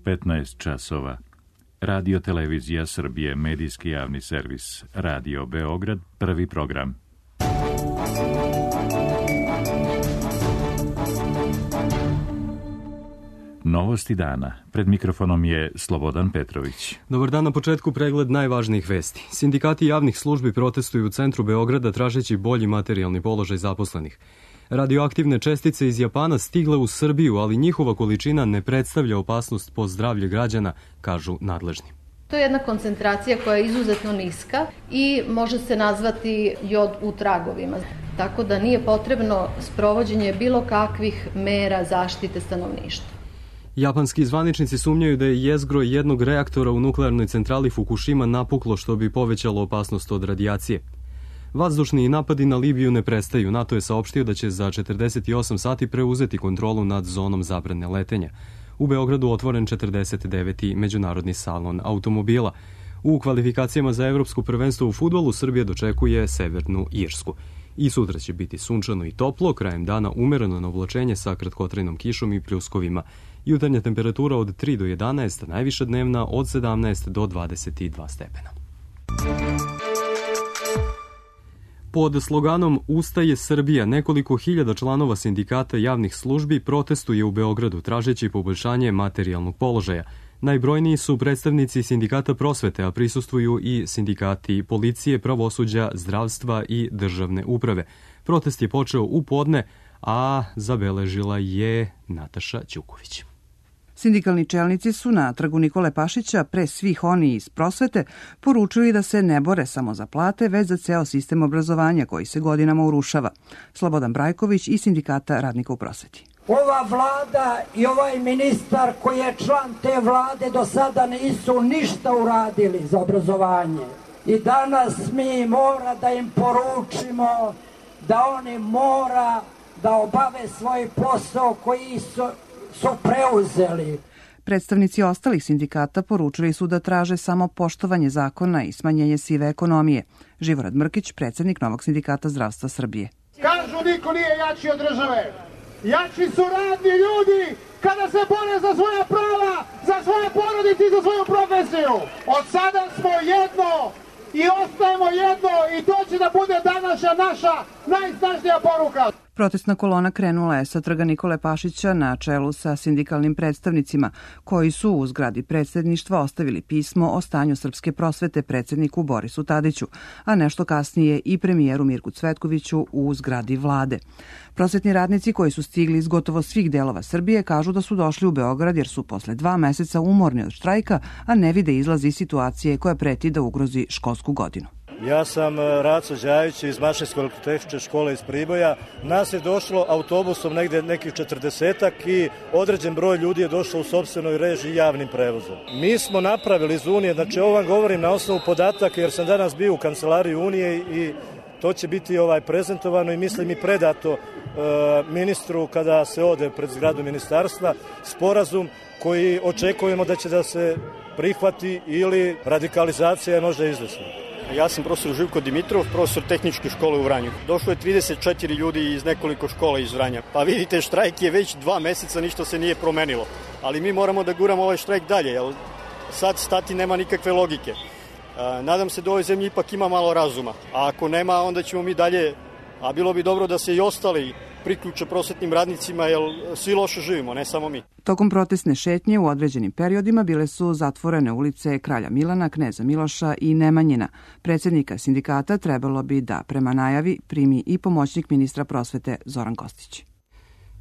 15 časova. Radio Televizija Srbije, medijski javni servis. Radio Beograd, prvi program. Novosti dana. Pred mikrofonom je Slobodan Petrović. Dobar dan, na početku pregled najvažnijih vesti. Sindikati javnih službi protestuju u centru Beograda tražeći bolji materijalni položaj zaposlenih. Radioaktivne čestice iz Japana stigle u Srbiju, ali njihova količina ne predstavlja opasnost po zdravlje građana, kažu nadležni. To je jedna koncentracija koja je izuzetno niska i može se nazvati jod u tragovima. Tako da nije potrebno sprovođenje bilo kakvih mera zaštite stanovništva. Japanski zvaničnici sumnjaju da je jezgro jednog reaktora u nuklearnoj centrali Fukushima napuklo, što bi povećalo opasnost od radijacije. Vazdušni napadi na Libiju ne prestaju. NATO je saopštio da će za 48 sati preuzeti kontrolu nad zonom zabrane letenja. U Beogradu otvoren 49. međunarodni salon automobila. U kvalifikacijama za evropsko prvenstvo u fudbalu Srbija dočekuje Severnu Irsku. I sutra će biti sunčano i toplo, krajem dana umereno na oblačenje sa kratkotrajnom kišom i pljuskovima. Jutarnja temperatura od 3 do 11, najviša dnevna od 17 do 22 stepena. Pod sloganom Ustaje Srbija, nekoliko hiljada članova sindikata javnih službi protestuje u Beogradu tražeći poboljšanje materijalnog položaja. Najbrojniji su predstavnici sindikata prosvete, a prisustvuju i sindikati policije, pravosuđa, zdravstva i državne uprave. Protest je počeo u podne, a zabeležila je Nataša Ćuković. Sindikalni čelnici su na trgu Nikole Pašića, pre svih oni iz prosvete, poručili da se ne bore samo za plate, već za ceo sistem obrazovanja koji se godinama urušava. Slobodan Brajković iz Sindikata radnika u prosveti. Ova vlada i ovaj ministar koji je član te vlade do sada nisu ništa uradili za obrazovanje. I danas mi mora da im poručimo da oni mora da obave svoj posao koji su preuzeli. Predstavnici ostalih sindikata poručili su da traže samo poštovanje zakona i smanjenje sive ekonomije. Živorad Mrkić, predsjednik Novog sindikata zdravstva Srbije. Kažu niko nije jači od države. Jači su radni ljudi kada se bore za svoja prava, za svoje porodice i za svoju profesiju. Od sada smo jedno i ostajemo jedno i to će da bude današnja naša najsnažnija poruka. Protestna kolona krenula je sa trga Nikole Pašića na čelu sa sindikalnim predstavnicima, koji su u zgradi predsjedništva ostavili pismo o stanju srpske prosvete predsjedniku Borisu Tadiću, a nešto kasnije i premijeru Mirku Cvetkoviću u zgradi vlade. Prosvetni radnici koji su stigli iz gotovo svih delova Srbije kažu da su došli u Beograd jer su posle 2 meseca umorni od štrajka, a ne vide izlaz iz situacije koja preti da ugrozi školsku godinu. Ja sam Raco Đajić iz Mašinsko-elektrotehničke škole iz Priboja. Nas je došlo autobusom negde nekih 40-ak i određen broj ljudi je došlo u sopstvenoj režiji javnim prevozom. Mi smo napravili iz Unije, znači ovo vam govorim na osnovu podataka jer sam danas bio u kancelariji Unije i to će biti prezentovano i mislim i predato ministru kada se ode pred zgradu ministarstva, sporazum koji očekujemo da će da se prihvati ili radikalizacija je možda izvesna. Ja sam profesor Živko Dimitrov, profesor tehničke škole u Vranju. Došlo je 34 ljudi iz nekoliko škola iz Vranja. Pa vidite, štrajk je već 2 meseca, ništa se nije promenilo. Ali mi moramo da guramo ovaj štrajk dalje, jer sad stati nema nikakve logike. Nadam se da u ovoj zemlji ipak ima malo razuma. A ako nema, onda ćemo mi dalje, a bilo bi dobro da se i ostali priključe prosvetnim radnicima, jer svi loše živimo, ne samo mi. Tokom protestne šetnje u određenim periodima bile su zatvorene ulice Kralja Milana, Kneza Miloša i Nemanjina. Predsjednika sindikata trebalo bi da, prema najavi, primi i pomoćnik ministra prosvete Zoran Kostić.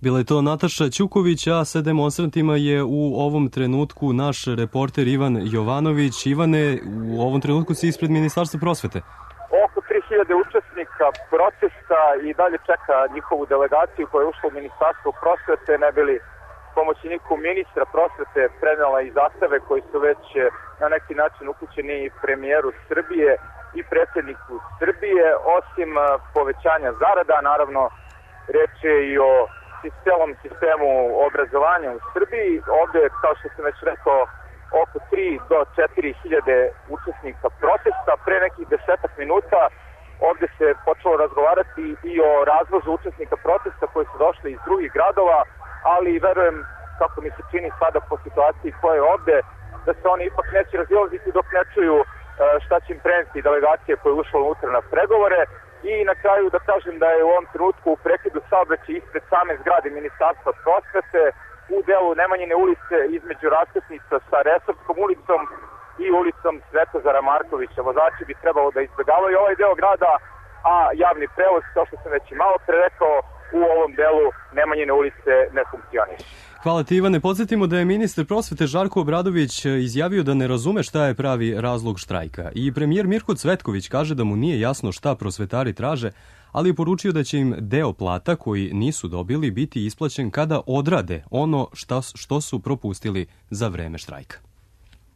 Bila je to Nataša Ćuković, a sa demonstrantima je u ovom trenutku naš reporter Ivan Jovanović. Ivane, u ovom trenutku si ispred Ministarstva prosvete. Oko 3000 učesnika protesta i dalje čeka njihovu delegaciju koja je ušla u Ministarstvo prosvete, ne bili pomoćniku ministra prosvete prenela i zastave koji su već na neki način upućeni premijeru Srbije i predsjedniku Srbije. Osim povećanja zarada, naravno, reč je i o celom sistemu obrazovanja u Srbiji. Ovde, kao što sam već rekao, oko 3 do 4 hiljade učesnika protesta. Pre nekih 10 minuta ovde se počelo razgovarati i o razvozu učesnika protesta koji su došli iz drugih gradova, ali verujem kako mi se čini sada po situaciji koja je ovde, da se oni ipak neće razilaziti dok ne čuju šta će im preneti delegacije koja je ušla unutra na pregovore. I na kraju da kažem da je u ovom trenutku u prekidu saobraćaja ispred same zgrade Ministarstva prosvete u delu Nemanjine ulice između raskrsnica sa Resarskom ulicom i ulicom Svetozara Markovića. Vozači bi trebalo da izbjegavaju ovaj deo grada, a javni prevoz, kao što sam već i malo pre rekao, u ovom delu Nemanjine ulice ne funkcioniše. Hvala ti, Ivane. Podsjetimo da je ministar prosvete Žarko Obradović izjavio da ne razume šta je pravi razlog štrajka. I premijer Mirko Cvetković kaže da mu nije jasno šta prosvetari traže, ali je poručio da će im deo plata koji nisu dobili biti isplaćen kada odrade ono što su propustili za vreme štrajka.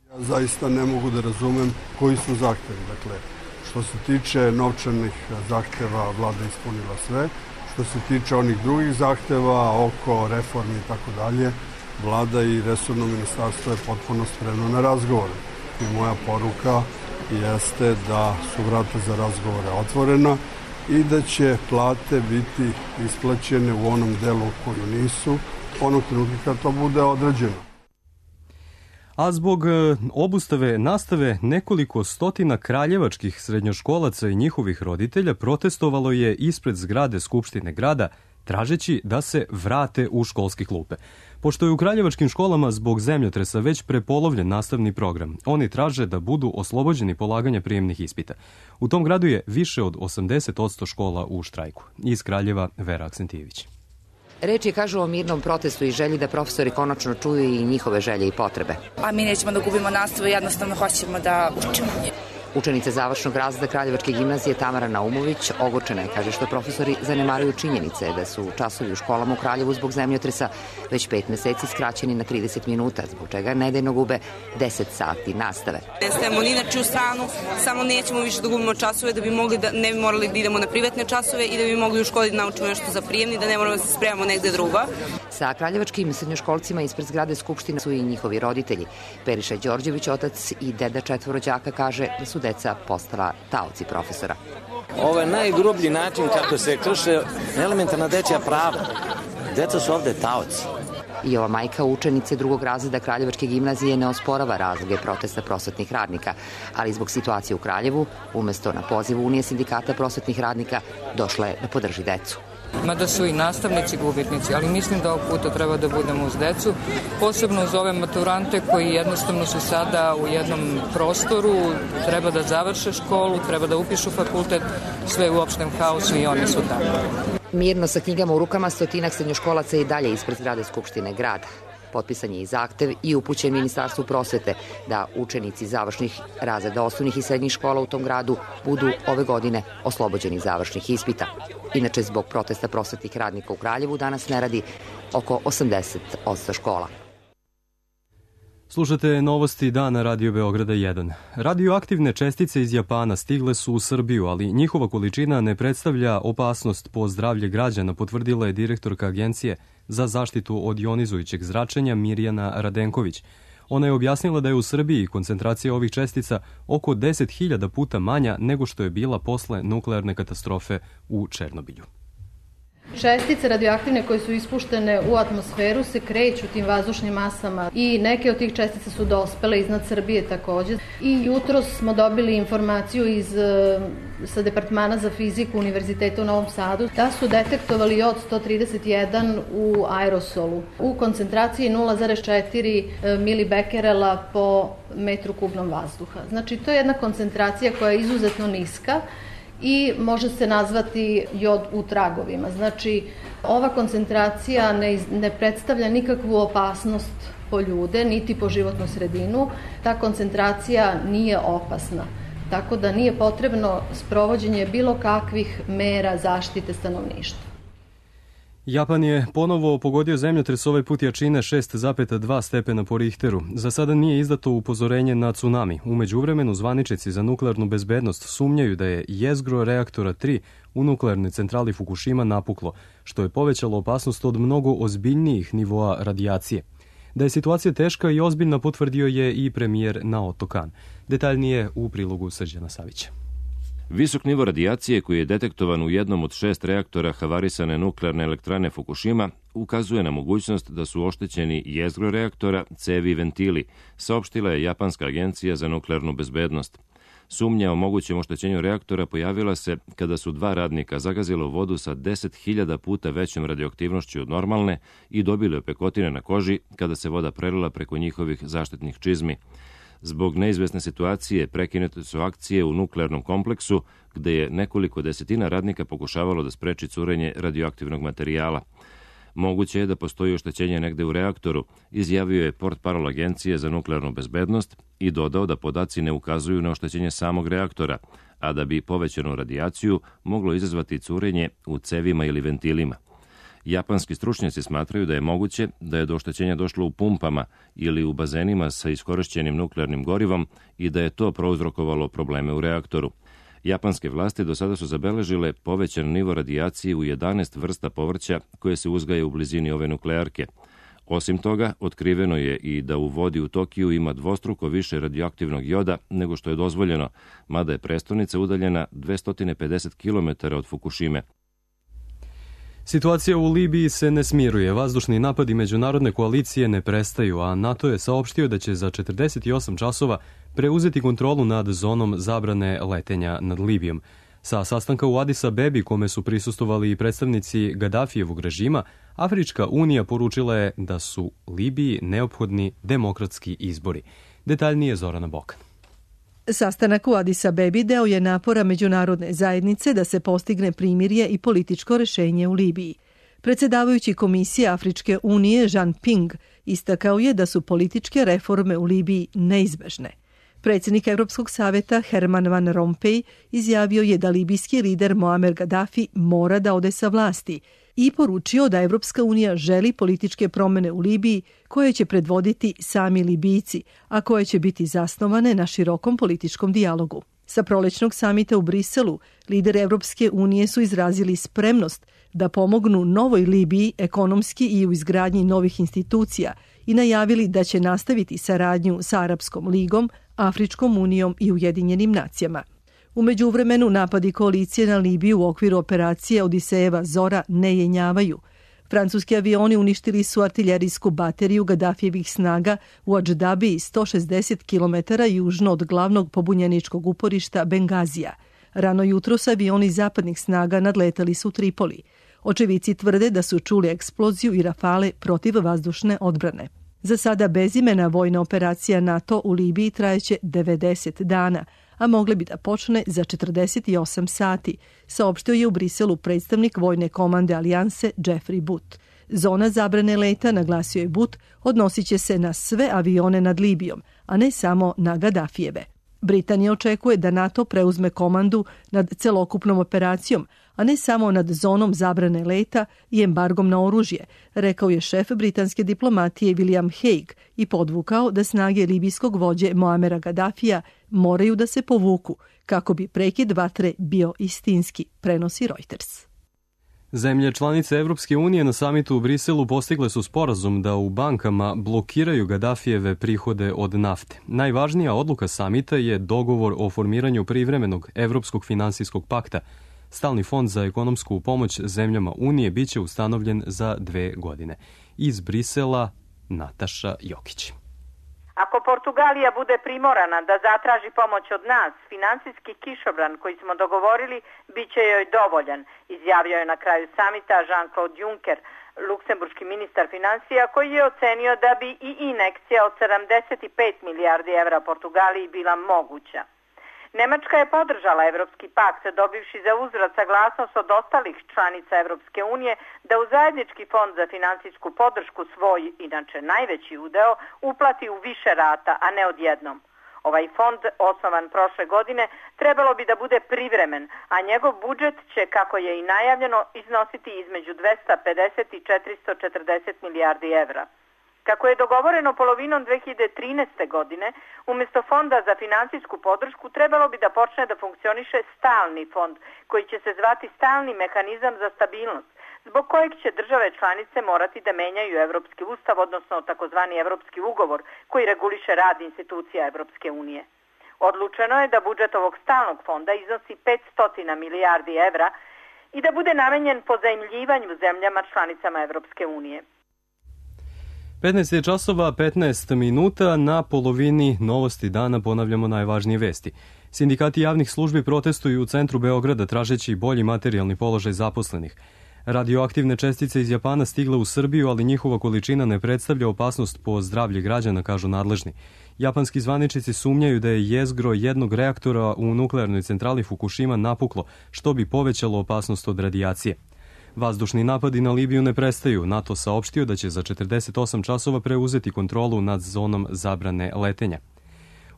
Ja zaista ne mogu da razumem koji su zahtevi. Dakle, što se tiče novčanih zahteva, vlada ispunila sve. Što se tiče onih drugih zahteva oko reformi i tako dalje, vlada i resorno ministarstvo je potpuno spremno na razgovore. I moja poruka jeste da su vrata za razgovore otvorena i da će plate biti isplaćene u onom delu koju nisu, onog trenutka kad to bude određeno. A zbog obustave nastave nekoliko stotina kraljevačkih srednjoškolaca i njihovih roditelja protestovalo je ispred zgrade Skupštine grada, tražeći da se vrate u školske klupe. Pošto je u kraljevačkim školama zbog zemljotresa već prepolovljen nastavni program, oni traže da budu oslobođeni polaganja prijemnih ispita. U tom gradu je više od 80% škola u štrajku. Iz Kraljeva Vera Aksentijević. Reč je, kažu, o mirnom protestu i želji da profesori konačno čuju i njihove želje i potrebe. A mi nećemo da gubimo nastavu, jednostavno hoćemo da učimo. Učenica završnog razreda Kraljevačke gimnazije Tamara Naumović ogorčena je, kaže, što profesori zanemaruju činjenice da su časovi u školama u Kraljevu zbog zemljotresa već 5 meseci skraćeni na 30 minuta, zbog čega nedeljno gube 10 sati nastave. Ne stajemo ni na čiju stranu, samo nećemo više da gubimo časove da bi mogli da ne bi morali da idemo na privatne časove i da bi mogli u školi da naučimo nešto za prijemni, da ne moramo da se spremamo negde drugo. Sa kraljevačkim srednjoškolcima ispred zgrade Skupštine su i njihovi roditelji. Periša Đorđević, otac i deda 4 đaka, kaže da su deca postala taoci profesora. Ovo je najgrublji način kako se krše elementarna dečja prava. Deca su ovde taoci. I ova majka učenice 2. razreda Kraljevačke gimnazije ne osporava razloge protesta prosvetnih radnika, ali zbog situacije u Kraljevu, umesto na pozivu Unije sindikata prosvetnih radnika, došla je da podrži decu. Mada su i nastavnici gubitnici, ali mislim da ovog puta treba da budemo uz decu, posebno uz ove maturante koji jednostavno su sada u jednom prostoru, treba da završe školu, treba da upišu fakultet, sve u opštem haosu i oni su tamo. Mirno sa knjigama u rukama stotinak srednjoškolaca i dalje ispred zgrade Skupštine grada. Potpisan je i zahtev i upućen Ministarstvu prosvete da učenici završnih razreda osnovnih i srednjih škola u tom gradu budu ove godine oslobođeni završnih ispita. Inače, zbog protesta prosvetnih radnika u Kraljevu danas ne radi oko 80% škola. Slušate novosti dana Radio Beograda 1. Radioaktivne čestice iz Japana stigle su u Srbiju, ali njihova količina ne predstavlja opasnost po zdravlje građana, potvrdila je direktorka Agencije za zaštitu od jonizujućeg zračenja Mirjana Radenković. Ona je objasnila da je u Srbiji koncentracija ovih čestica oko 10.000 puta manja nego što je bila posle nuklearne katastrofe u Černobilju. Čestice radioaktivne koje su ispuštene u atmosferu se kreću tim vazdušnim masama i neke od tih čestica su dospele iznad Srbije takođe. I jutros smo dobili informaciju sa Departmana za fiziku Univerziteta u Novom Sadu da su detektovali jod 131 u aerosolu u koncentraciji 0,4 milibekerela po metru kubnom vazduha. Znači, to je jedna koncentracija koja je izuzetno niska i može se nazvati jod u tragovima. Znači, ova koncentracija ne predstavlja nikakvu opasnost po ljude, niti po životnu sredinu. Ta koncentracija nije opasna, tako da nije potrebno sprovođenje bilo kakvih mera zaštite stanovništva. Japan je ponovo pogodio zemljotres, ovaj put jačine 6,2 stepena po Richteru. Za sada nije izdato upozorenje na tsunami. U međuvremenu zvaničnici za nuklearnu bezbednost sumnjaju da je jezgro reaktora 3 u nuklearnoj centrali Fukushima napuklo, što je povećalo opasnost od mnogo ozbiljnijih nivoa radijacije. Da je situacija teška i ozbiljna potvrdio je i premijer Naoto Kan. Detaljnije u prilogu Srđana Savića. Visok nivo radijacije koji je detektovan u jednom od 6 reaktora havarisane nuklearne elektrane Fukushima ukazuje na mogućnost da su oštećeni jezgro reaktora, cevi i ventili, saopštila je Japanska agencija za nuklearnu bezbednost. Sumnja o mogućem oštećenju reaktora pojavila se kada su 2 radnika zagazila u vodu sa 10.000 puta većom radioaktivnošću od normalne i dobili opekotine na koži kada se voda prelila preko njihovih zaštitnih čizmi. Zbog neizvesne situacije prekinute su akcije u nuklearnom kompleksu, gde je nekoliko desetina radnika pokušavalo da spreči curenje radioaktivnog materijala. Moguće je da postoji oštećenje negde u reaktoru, izjavio je portparol Agencije za nuklearnu bezbednost i dodao da podaci ne ukazuju na oštećenje samog reaktora, a da bi povećanu radijaciju moglo izazvati curenje u cevima ili ventilima. Japanski stručnjaci smatraju da je moguće da je do oštećenja došlo u pumpama ili u bazenima sa iskorišćenim nuklearnim gorivom i da je to prouzrokovalo probleme u reaktoru. Japanske vlasti do sada su zabeležile povećan nivo radijacije u 11 vrsta povrća koje se uzgaja u blizini ove nuklearke. Osim toga, otkriveno je i da u vodi u Tokiju ima dvostruko više radioaktivnog joda nego što je dozvoljeno, mada je prestonica udaljena 250 km od Fukushime. Situacija u Libiji se ne smiruje, vazdušni napadi međunarodne koalicije ne prestaju, a NATO je saopštio da će za 48 časova preuzeti kontrolu nad zonom zabrane letenja nad Libijom. Sa sastanka u Adis Abebi, kome su prisustvovali i predstavnici Gadafijevog režima, Afrička unija poručila je da su Libiji neophodni demokratski izbori. Detaljnije Zorana Bokan. Sastanak u Adis Abebi deo je napora međunarodne zajednice da se postigne primirje i političko rešenje u Libiji. Predsjedavajući Komisije Afričke unije Jean Ping istakao je da su političke reforme u Libiji neizbežne. Predsjednik Evropskog saveta Herman Van Rompuy izjavio je da libijski lider Muammar Gaddafi mora da ode sa vlasti i poručio da Evropska unija želi političke promjene u Libiji koje će predvoditi sami Libijci, a koje će biti zasnovane na širokom političkom dijalogu. Sa prolećnog samita u Briselu, lideri Evropske unije su izrazili spremnost da pomognu novoj Libiji ekonomski i u izgradnji novih institucija i najavili da će nastaviti saradnju sa Arapskom ligom, Afričkom unijom i Ujedinjenim nacijama. U međuvremenu napadi koalicije na Libiju u okviru operacije Odisejeva Zora ne jenjavaju. Francuski avioni uništili su artiljerijsku bateriju Gaddafijevih snaga u Adždabiji 160 km južno od glavnog pobunjeničkog uporišta Bengazija. Rano jutros avioni zapadnih snaga nadletali su Tripoli. Očevici tvrde da su čuli eksploziju i rafale protiv vazdušne odbrane. Za sada bezimena vojna operacija NATO u Libiji trajeće 90 dana, a mogle bi da počne za 48 sati, saopštio je u Briselu predstavnik vojne komande Alijanse Jeffrey Butt. Zona zabrane leta, naglasio je Butt, odnosit će se na sve avione nad Libijom, a ne samo na Gaddafijeve. Britanija očekuje da NATO preuzme komandu nad celokupnom operacijom, a ne samo nad zonom zabrane leta i embargom na oružje, rekao je šef britanske diplomatije William Hague i podvukao da snage libijskog vođe Muammara Gaddafija moraju da se povuku kako bi prekid vatre bio istinski, prenosi Reuters. Zemlje članice Evropske unije na samitu u Briselu postigle su sporazum da u bankama blokiraju Gaddafijeve prihode od nafte. Najvažnija odluka samita je dogovor o formiranju privremenog Evropskog finansijskog pakta. Stalni fond za ekonomsku pomoć zemljama Unije biće ustanovljen za 2 godine. Iz Brisela, Nataša Jokić. Ako Portugalija bude primorana da zatraži pomoć od nas, finansijski kišobran koji smo dogovorili bit će joj dovoljan, izjavio je na kraju samita Jean-Claude Juncker, luksemburški ministar financija, koji je ocenio da bi i injekcija od 75 milijardi evra Portugaliji bila moguća. Nemačka je podržala Evropski pakt, dobivši za uzvrat saglasnost od ostalih članica Evropske unije da u zajednički fond za finansijsku podršku svoj, inače najveći udeo, uplati u više rata, a ne odjednom. Ovaj fond, osnovan prošle godine, trebalo bi da bude privremen, a njegov budžet će, kako je i najavljeno, iznositi između 250 i 440 milijardi evra. Kako je dogovoreno polovinom 2013. godine, umjesto fonda za finansijsku podršku trebalo bi da počne da funkcioniše stalni fond, koji će se zvati stalni mehanizam za stabilnost, zbog kojeg će države članice morati da menjaju Evropski ustav, odnosno takozvani Evropski ugovor, koji reguliše rad institucija Evropske unije. Odlučeno je da budžet ovog stalnog fonda iznosi 500 milijardi evra i da bude namenjen pozajmljivanju zemljama članicama Evropske unije. 15 je časova, 15 minuta, na polovini novosti dana ponavljamo najvažnije vesti. Sindikati javnih službi protestuju u centru Beograda tražeći bolji materijalni položaj zaposlenih. Radioaktivne čestice iz Japana stigle u Srbiju, ali njihova količina ne predstavlja opasnost po zdravlje građana, kažu nadležni. Japanski zvaničnici sumnjaju da je jezgro jednog reaktora u nuklearnoj centrali Fukushima napuklo, što bi povećalo opasnost od radijacije. Vazdušni napadi na Libiju ne prestaju. NATO saopštio da će za 48 časova preuzeti kontrolu nad zonom zabrane letenja.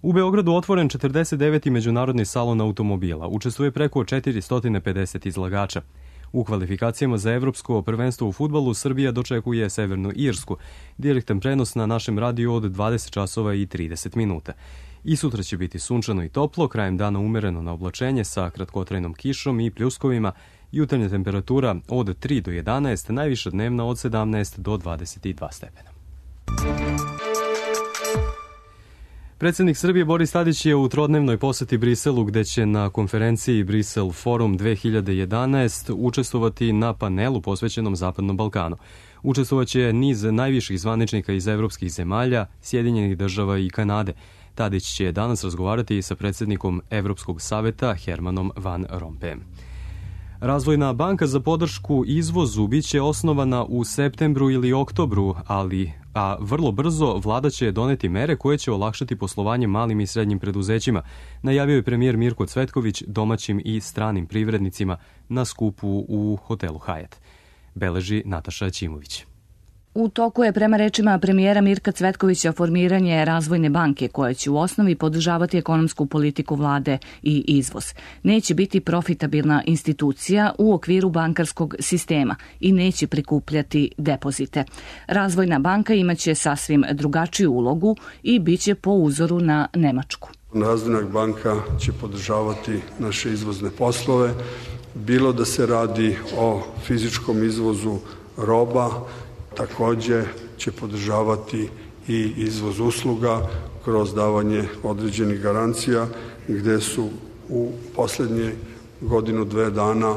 U Beogradu otvoren 49. međunarodni salon automobila. Učestvuje preko 450 izlagača. U kvalifikacijama za evropsko prvenstvo u fudbalu Srbija dočekuje Severnu Irsku. Direktan prenos na našem radiju od 20 časova i 30 minuta. I sutra će biti sunčano i toplo, krajem dana umereno na oblačenje sa kratkotrajnom kišom i pljuskovima, jutarnja temperatura od 3 do 11, najviša dnevna od 17 do 22 stepena. Predsjednik Srbije Boris Tadić je u trodnevnoj poseti Briselu, gde će na konferenciji Brisel Forum 2011 učestvovati na panelu posvećenom Zapadnom Balkanu. Učestvovaće niz najviših zvaničnika iz evropskih zemalja, Sjedinjenih država i Kanade. Tadić će danas razgovarati sa predsjednikom Evropskog saveta Hermanom Van Rompuyem. Razvojna banka za podršku izvozu biće osnovana u septembru ili oktobru, a vrlo brzo vlada će doneti mere koje će olakšati poslovanje malim i srednjim preduzećima, najavio je premijer Mirko Cvetković domaćim i stranim privrednicima na skupu u hotelu Hyatt. Beleži Nataša Ćimović. U toku je, prema rečima premijera Mirka Cvetkovića, formiranje Razvojne banke koja će u osnovi podržavati ekonomsku politiku vlade i izvoz. Neće biti profitabilna institucija u okviru bankarskog sistema i neće prikupljati depozite. Razvojna banka imaće sasvim drugačiju ulogu i biće po uzoru na Nemačku. Razvojna banka će podržavati naše izvozne poslove, bilo da se radi o fizičkom izvozu roba, takođe će podržavati i izvoz usluga kroz davanje određenih garancija, gde su u poslednje godinu, dve dana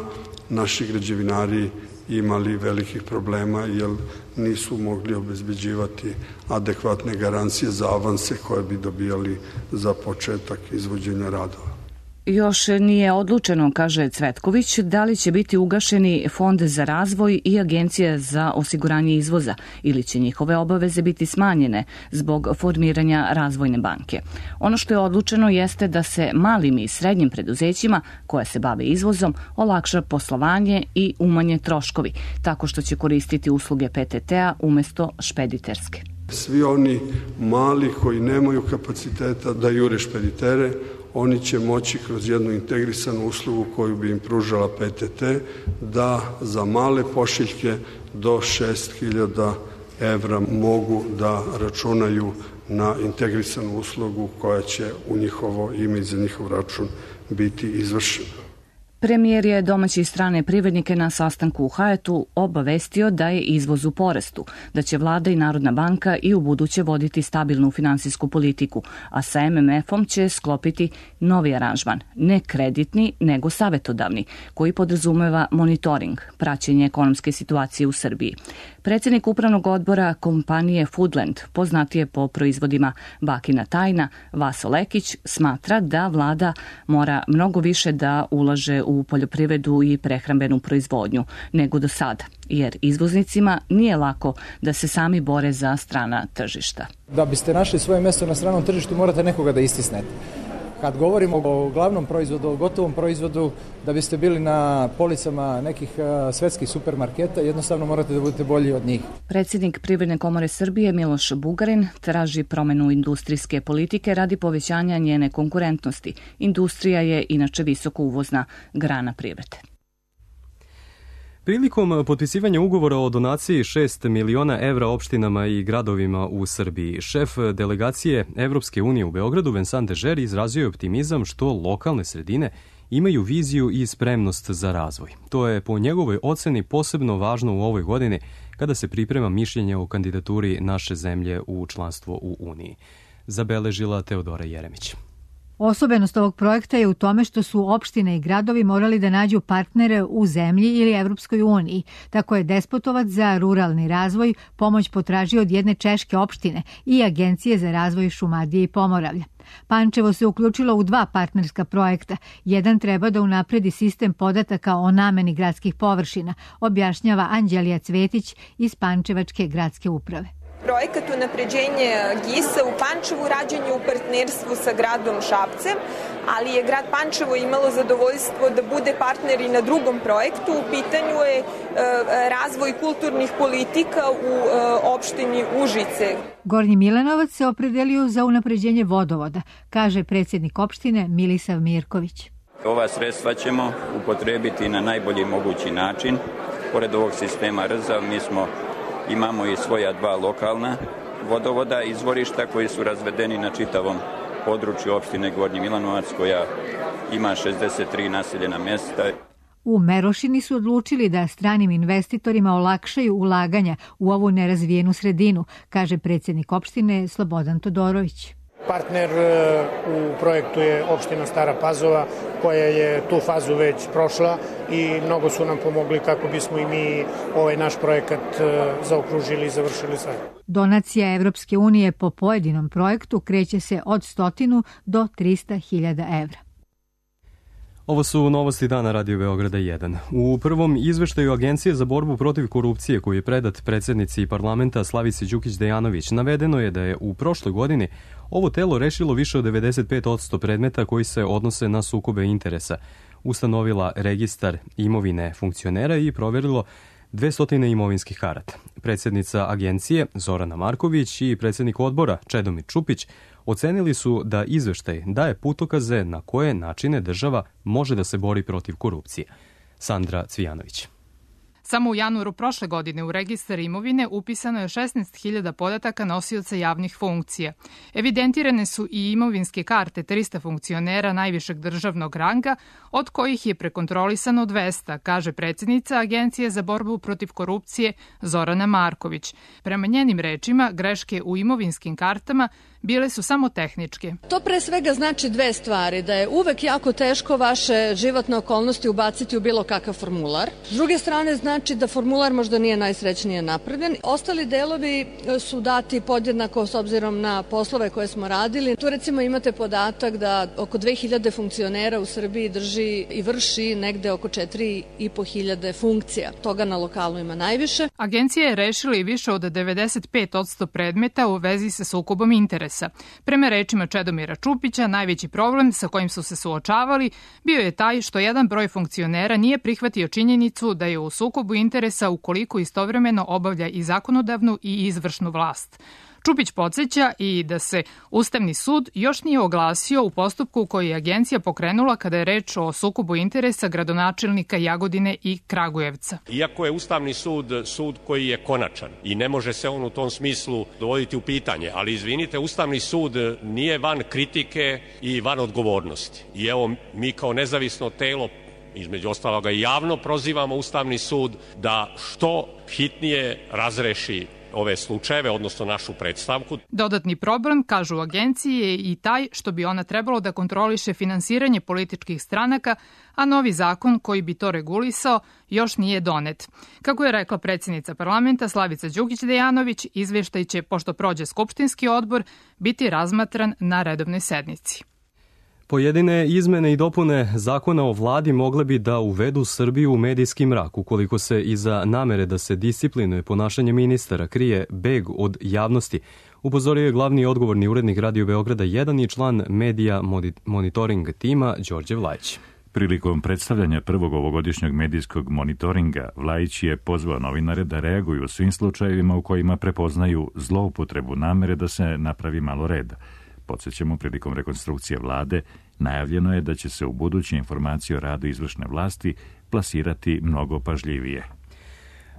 naši građevinari imali velikih problema jer nisu mogli obezbeđivati adekvatne garancije za avanse koje bi dobijali za početak izvođenja radova. Još nije odlučeno, kaže Cvetković, da li će biti ugašeni Fond za razvoj i Agencija za osiguranje izvoza ili će njihove obaveze biti smanjene zbog formiranja Razvojne banke. Ono što je odlučeno jeste da se malim i srednjim preduzećima koja se bave izvozom olakša poslovanje i umanje troškovi, tako što će koristiti usluge PTT-a umesto špediterske. Svi oni mali koji nemaju kapaciteta da jure špeditere, oni će moći kroz jednu integrisanu uslugu koju bi im pružala PTT da za male pošiljke do 6.000 evra mogu da računaju na integrisanu uslugu koja će u njihovo ime i za njihov račun biti izvršena. Premijer je domaće i strane privrednike na sastanku u Hyatt obavestio da je izvoz u porastu, da će vlada i Narodna banka i u buduće voditi stabilnu finansijsku politiku, a sa MMF-om će sklopiti novi aranžman, ne kreditni, nego savetodavni, koji podrazumeva monitoring, praćenje ekonomske situacije u Srbiji. Predsjednik upravnog odbora kompanije Foodland, poznatije po proizvodima Bakina tajna, Vaso Lekić, smatra da vlada mora mnogo više da ulaže u poljoprivredu i prehrambenu proizvodnju nego do sada, jer izvoznicima nije lako da se sami bore za strana tržišta. Da biste našli svoje mjesto na stranom tržištu morate nekoga da istisnete. Kad govorimo o glavnom proizvodu, o gotovom proizvodu, da biste bili na policama nekih svetskih supermarketa, jednostavno morate da budete bolji od njih. Predsjednik Privredne komore Srbije Miloš Bugarin traži promenu industrijske politike radi povećanja njene konkurentnosti. Industrija je inače visoko uvozna grana privrede. Prilikom potpisivanja ugovora o donaciji 6 miliona evra opštinama i gradovima u Srbiji, šef delegacije Evropske unije u Beogradu Vincent Dežer izrazio je optimizam što lokalne sredine imaju viziju i spremnost za razvoj. To je po njegovoj oceni posebno važno u ovoj godini kada se priprema mišljenje o kandidaturi naše zemlje u članstvo u Uniji. Zabeležila Teodora Jeremić. Osobenost ovog projekta je u tome što su opštine i gradovi morali da nađu partnere u zemlji ili Evropskoj uniji. Tako je Despotovac za ruralni razvoj pomoć potražio od jedne češke opštine i Agencije za razvoj Šumadije i Pomoravlja. Pančevo se uključilo u 2 partnerska projekta. Jedan treba da unapredi sistem podataka o nameni gradskih površina, objašnjava Anđelija Cvetić iz Pančevačke gradske uprave. Projekat unapređenje GIS-a u Pančevu rađen je u partnerstvu sa gradom Šapcem, ali je grad Pančevo imalo zadovoljstvo da bude partner i na drugom projektu. U pitanju je razvoj kulturnih politika u opštini Užice. Gornji Milanovac se opredelio za unapređenje vodovoda, kaže predsjednik opštine Milisav Mirković. Ova sredstva ćemo upotrebiti na najbolji mogući način. Pored ovog sistema RZA imamo i svoja 2 lokalna vodovoda, izvorišta koji su razvedeni na čitavom području opštine Gornji Milanovac, koja ima 63 naseljena mjesta. U Merošini su odlučili da stranim investitorima olakšaju ulaganja u ovu nerazvijenu sredinu, kaže predsjednik opštine Slobodan Todorović. Partner u projektu je opština Stara Pazova, koja je tu fazu već prošla i mnogo su nam pomogli kako bismo i mi ovaj naš projekat zaokružili i završili sve. Donacija Evropske unije po pojedinom projektu kreće se od 100 do 300.000 evra. Ovo su novosti dana Radio Beograda 1. U prvom izveštaju Agencije za borbu protiv korupcije koji je predat predsjednici parlamenta Slavici Đukić Dejanović navedeno je da je u prošloj godini ovo telo rešilo više od 95% predmeta koji se odnose na sukobe interesa, ustanovila registar imovine funkcionera i proverilo 200 imovinskih karata. Predsjednica agencije Zorana Marković i predsjednik odbora Čedomir Čupić ocenili su da izveštaj daje putokaze na koje načine država može da se bori protiv korupcije. Sandra Cvijanović. Samo u januaru prošle godine u registar imovine upisano je 16.000 podataka nosioca javnih funkcija. Evidentirane su i imovinske karte 300 funkcionera najvišeg državnog ranga, od kojih je prekontrolisano 200, kaže predsjednica Agencije za borbu protiv korupcije Zorana Marković. Prema njenim rečima, greške u imovinskim kartama bile su samo tehničke. To pre svega znači 2 stvari, da je uvek jako teško vaše životne okolnosti ubaciti u bilo kakav formular. S druge strane znači da formular možda nije najsrećnije napravljen. Ostali delovi su dati podjednako s obzirom na poslove koje smo radili. Tu recimo imate podatak da oko 2000 funkcionera u Srbiji drži i vrši negde oko 4.500 funkcija. Toga na lokalu ima najviše. Agencija je rešila i više od 95% predmeta u vezi sa sukobom interesa. Prema rečima Čedomira Čupića, najveći problem sa kojim su se suočavali bio je taj što jedan broj funkcionera nije prihvatio činjenicu da je u sukobu interesa ukoliko istovremeno obavlja i zakonodavnu i izvršnu vlast. Čupić podsjeća i da se Ustavni sud još nije oglasio u postupku koji je agencija pokrenula kada je reč o sukobu interesa gradonačelnika Jagodine i Kragujevca. Iako je Ustavni sud sud koji je konačan i ne može se on u tom smislu dovoditi u pitanje, ali izvinite, Ustavni sud nije van kritike i van odgovornosti. I evo, mi kao nezavisno telo, između ostaloga i javno prozivamo Ustavni sud da što hitnije razreši ove slučajeve, odnosno našu predstavku. Dodatni problem, kažu u agenciji, je i taj što bi ona trebalo da kontroliše finansiranje političkih stranaka, a novi zakon koji bi to regulisao još nije donet. Kako je rekla predsjednica parlamenta Slavica Đukić Dejanović, izveštaj će, pošto prođe skupštinski odbor, biti razmatran na redovnoj sednici. Pojedine izmene i dopune zakona o vladi mogle bi da uvedu Srbiju u medijski mrak, ukoliko se iza namere da se disciplinuje ponašanje ministara krije beg od javnosti, upozorio je glavni odgovorni urednik Radio Beograda 1 i član medija monitoring tima Đorđe Vlajić. Prilikom predstavljanja prvog ovogodišnjeg medijskog monitoringa, Vlajić je pozvao novinare da reaguju u svim slučajevima u kojima prepoznaju zloupotrebu namere da se napravi malo reda. Podsjećamo, prilikom rekonstrukcije vlade, najavljeno je da će se u buduće informacije o radu izvršne vlasti plasirati mnogo pažljivije.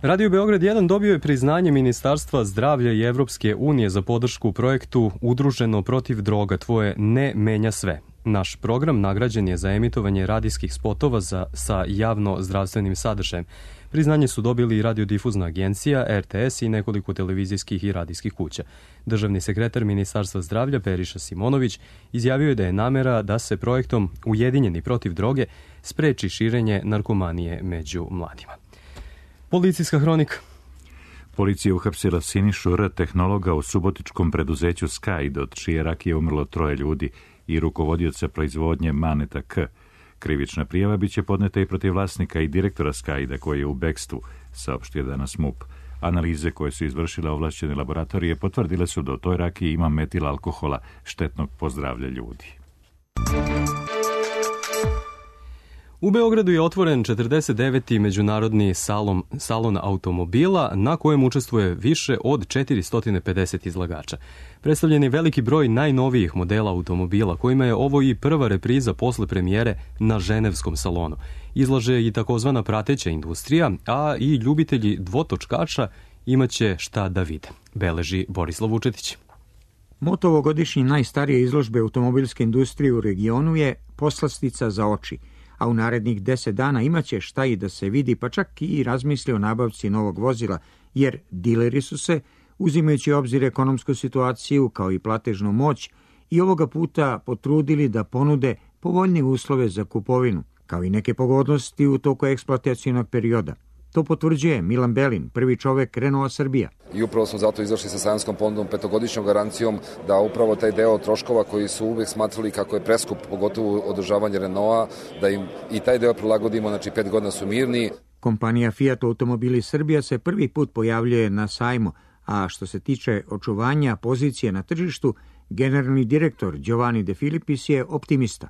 Radio Beograd 1 dobio je priznanje Ministarstva zdravlja i Evropske unije za podršku projektu Udruženo protiv droga, tvoje ne menja sve. Naš program nagrađen je za emitovanje radijskih spotova sa javno zdravstvenim sadržajem. Priznanje su dobili i radiodifuzna agencija, RTS i nekoliko televizijskih i radijskih kuća. Državni sekretar Ministarstva zdravlja Periša Simonović izjavio je da je namera da se projektom Ujedinjeni protiv droge spreči širenje narkomanije među mladima. Policijska hronika. Policija uhapsila Sinišu R., tehnologa u subotičkom preduzeću Skajd, od čije rakije umrlo 3 ljudi, i rukovodioca proizvodnje Maneta K. Krivična prijava biće podneta i protiv vlasnika i direktora Skajda, koji je u bekstvu, saopštio danas MUP. Analize koje su izvršile ovlašćene laboratorije potvrdile su da u toj rakiji ima metil alkohola, štetnog po zdravlje ljudi. U Beogradu je otvoren 49. međunarodni salon automobila, na kojem učestvuje više od 450 izlagača. Predstavljen je veliki broj najnovijih modela automobila, kojima je ovo i prva repriza posle premijere na ženevskom salonu. Izlaže i takozvana prateća industrija, a i ljubitelji dvotočkača imaće šta da vide, beleži Borislav Vučetić. Moto ovogodišnje najstarije izložbe automobilske industrije u regionu je poslastica za oči, a u narednih 10 dana imaće šta i da se vidi, pa čak i razmisli o nabavci novog vozila, jer dileri su se, uzimajući u obzir ekonomsku situaciju kao i platežnu moć, i ovoga puta potrudili da ponude povoljnije uslove za kupovinu, kao i neke pogodnosti u toku eksploatacionog perioda. To potvrđuje Milan Belin, prvi čovek Renaulta Srbija. I upravo smo zato izašli sa sajamskom ponudom 5-godišnjom garancijom da upravo taj deo troškova koji su uvek smatrali kako je preskup, pogotovo održavanje Renaulta, da im i taj deo prilagodimo, znači 5 godina su mirni. Kompanija Fiat Automobili Srbija se prvi put pojavljuje na sajmu, a što se tiče očuvanja pozicije na tržištu, generalni direktor Giovanni De Filipis je optimista.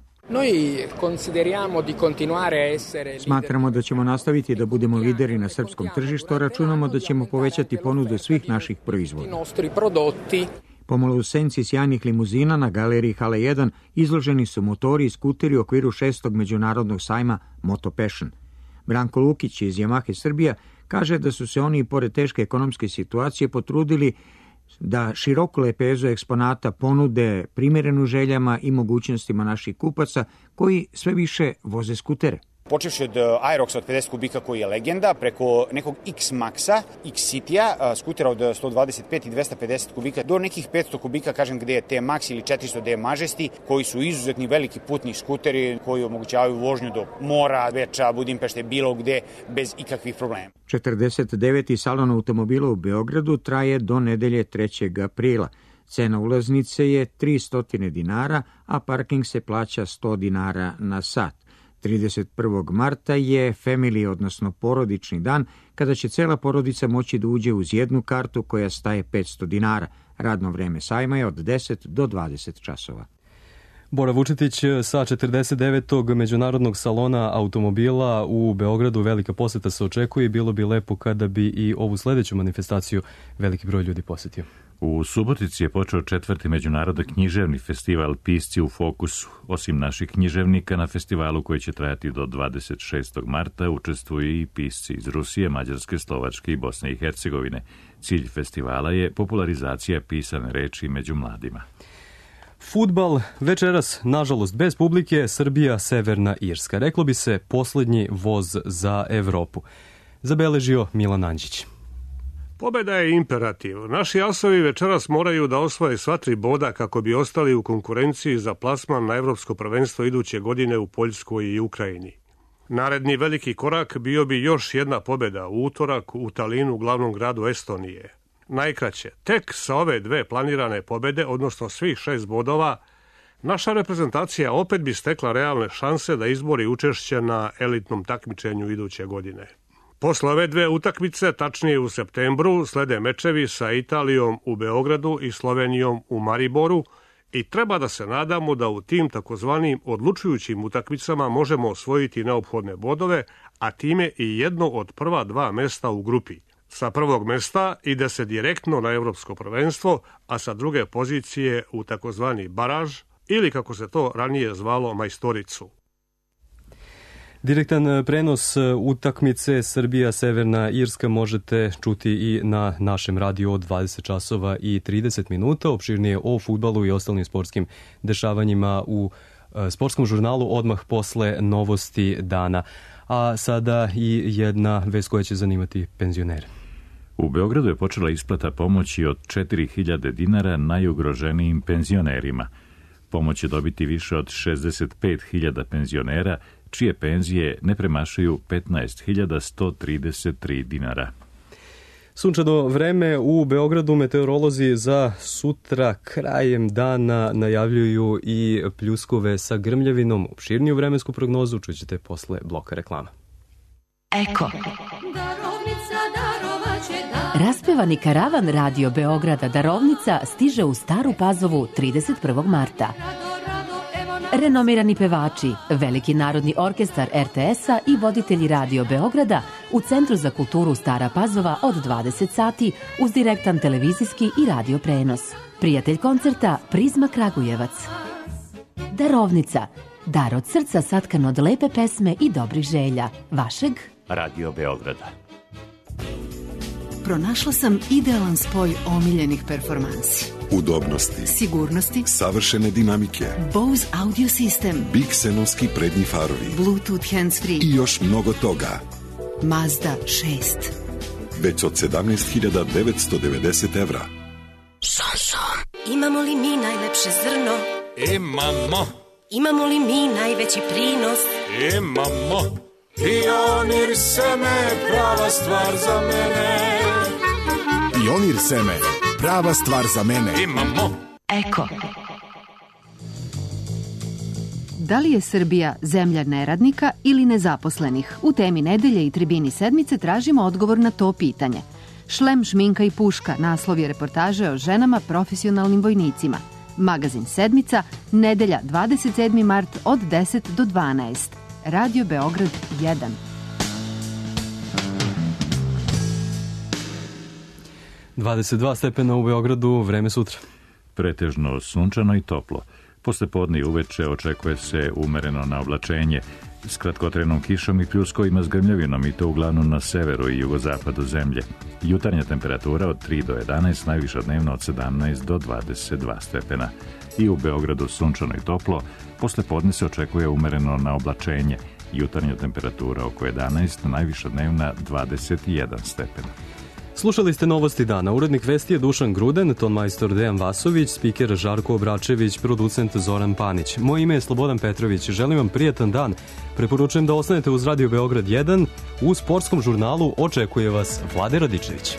Smatramo da ćemo nastaviti da budemo lideri na srpskom tržištu, a računamo da ćemo povećati ponudu svih naših proizvoda. Pomalo u senci sjajnih limuzina na galeriji Hala 1 izloženi su motori i skuteri u okviru 6. međunarodnog sajma Moto Passion. Branko Lukić iz Yamahe Srbija kaže da su se oni, pored teške ekonomske situacije, potrudili da široku lepezu eksponata ponude primjerenu željama i mogućnostima naših kupaca koji sve više voze skutere. Počevši od Aeroxa od 50 kubika koji je legenda, preko nekog X-Maxa, X-Citya, skutera od 125 i 250 kubika, do nekih 500 kubika, kažem, gde je T-Max ili 400 D Majesty, koji su izuzetni veliki putni skuteri koji omogućavaju vožnju do mora, Beča, Budimpešte, bilo gde, bez ikakvih problema. 49. salon automobila u Beogradu traje do nedelje 3. aprila. Cena ulaznice je 300 dinara, a parking se plaća 100 dinara na sat. 31. marta je family, odnosno porodični dan, kada će cela porodica moći da uđe uz jednu kartu koja staje 500 dinara. Radno vreme sajma je od 10 do 20 časova. Bora Vučetić sa 49. međunarodnog salona automobila u Beogradu. Velika poseta se očekuje i bilo bi lepo kada bi i ovu sledeću manifestaciju veliki broj ljudi posetio. U Subotici je počeo 4. međunarodni književni festival Pisci u fokusu. Osim naših književnika, na festivalu koji će trajati do 26. marta učestvuju i pisci iz Rusije, Mađarske, Slovačke i Bosne i Hercegovine. Cilj festivala je popularizacija pisane reči među mladima. Fudbal večeras, nažalost, bez publike, Srbija, Severna Irska. Reklo bi se poslednji voz za Evropu. Zabeležio Milan Anđić. Pobeda je imperativ. Naši asovi večeras moraju da osvoje sva 3 boda kako bi ostali u konkurenciji za plasman na evropsko prvenstvo iduće godine u Poljskoj i Ukrajini. Naredni veliki korak bio bi još jedna pobeda u utorak u Talinu, glavnom gradu Estonije. Najkraće, tek sa ove 2 planirane pobede, odnosno svih 6 bodova, naša reprezentacija opet bi stekla realne šanse da izbori učešće na elitnom takmičenju iduće godine. Posle ove 2 utakmice, tačnije u septembru, slede mečevi sa Italijom u Beogradu i Slovenijom u Mariboru i treba da se nadamo da u tim takozvanim odlučujućim utakmicama možemo osvojiti neophodne bodove, a time i jedno od prva 2 mesta u grupi. Sa prvog mesta ide se direktno na evropsko prvenstvo, a sa druge pozicije u takozvani baraž ili kako se to ranije zvalo majstoricu. Direktan prenos utakmice Srbija-Severna Irska možete čuti i na našem radiju od 20 časova i 30 minuta. Opširnije o fudbalu i ostalim sportskim dešavanjima u sportskom žurnalu odmah posle novosti dana. A sada i jedna vest koja će zanimati penzionere. U Beogradu je počela isplata pomoći od 4.000 dinara najugroženijim penzionerima. Pomoć će dobiti više od 65.000 penzionera, čije penzije ne premašuju 15.133 dinara. Sunčano vreme u Beogradu, meteorolozi za sutra krajem dana najavljuju i pljuskove sa grmljavinom. Opširniju vremensku prognozu čućete posle bloka reklama. Eko. Raspevani karavan Radio Beograda Darovnica stiže u Staru Pazovu 31. marta. Renomirani pevači, Veliki narodni orkestar RTS-a i voditelji Radio Beograda u Centru za kulturu Stara Pazova od 20 sati uz direktan televizijski i radio prenos. Prijatelj koncerta Prizma Kragujevac. Darovnica. Dar od srca satkan od lepe pesme i dobrih želja. Vašeg Radio Beograda. Pronašla sam idealan spoj omiljenih performansi. Udobnosti, sigurnosti, savršene dinamike, Bose audio sistem, Bixenovski prednji farovi, Bluetooth handsfree i još mnogo toga. Mazda 6. Već od 17.990 evra. Šanšon. Imamo li mi najlepše zrno? Imamo. Imamo li mi najveći prinos? Imamo. Pionir seme, prava stvar za mene. Pionir seme, prava stvar za mene. Imamo. Eko. Da li je Srbija zemlja neradnika ili nezaposlenih? U temi nedelje i tribini sedmice tražimo odgovor na to pitanje. Šlem, šminka i puška, naslov je reportaže o ženama profesionalnim vojnicima. Magazin Sedmica, nedelja 27. mart od 10 do 12. Radio Beograd 1. ...22 stepena u Beogradu, vreme sutra. Pretežno sunčano i toplo. Posle podne i uveče očekuje se umereno naoblačenje s kratkotrenom kišom i pljuskovima s grmljavinom i to uglavnom na severu i jugozapadu zemlje. Jutarnja temperatura od 3 do 11, najviša dnevna od 17 do 22 stepena. I u Beogradu sunčano i toplo, posle podne se očekuje umereno naoblačenje. Jutarnja temperatura oko 11, najviša dnevna 21 stepen. Slušali ste novosti dana. Urednik vesti je Dušan Gruden, tonmajstor Dejan Vasović, spiker Žarko Obračević, producent Zoran Panić. Moje ime je Slobodan Petrović. Želim vam prijatan dan. Preporučujem da ostanete uz Radio Beograd 1. U sportskom žurnalu očekuje vas Vlade Radičević.